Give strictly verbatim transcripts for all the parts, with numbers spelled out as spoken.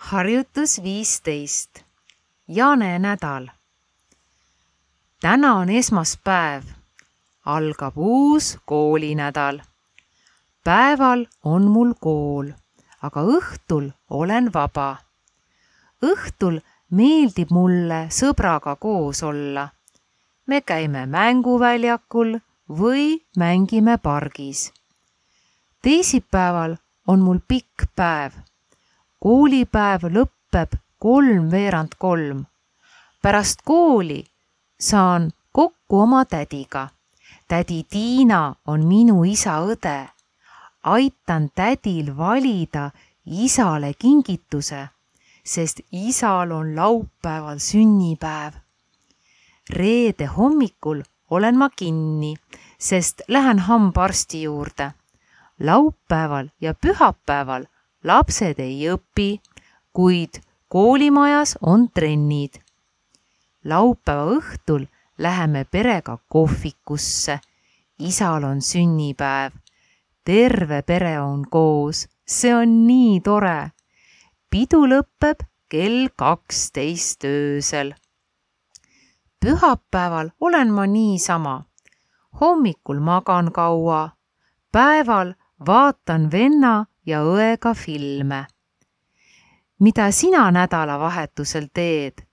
Harjutus viisteist. Jaane nädal. Täna on esmaspäev. Algab uus koolinädal. Päeval on mul kool, aga õhtul olen vaba. Õhtul meeldib mulle sõbraga koos olla. Me käime mänguväljakul või mängime pargis. Teisipäeval on mul pikk päev. Koolipäev lõppeb kolmveerand kolm. Pärast kooli saan kokku oma tädiga. Tädi Tiina on minu isa õde. Aitan tädil valida isale kingituse, sest isal on laupäeval sünnipäev. Reede hommikul olen ma kinni, sest lähen hambaarsti juurde. Laupäeval ja pühapäeval lapsed ei õpi, kuid koolimajas on trennid. Laupäeva õhtul läheme perega kohvikusse. Isal on sünnipäev. Terve pere on koos. See on nii tore. Pidu lõpeb kell kaksteist öösel. Pühapäeval olen ma niisama. Hommikul magan kaua. Päeval vaatan venna ja õega filme. Mida sina nädalavahetusel teed?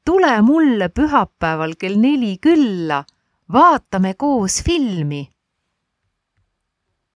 Tule mulle pühapäeval kell neli külla. Vaatame koos filmi.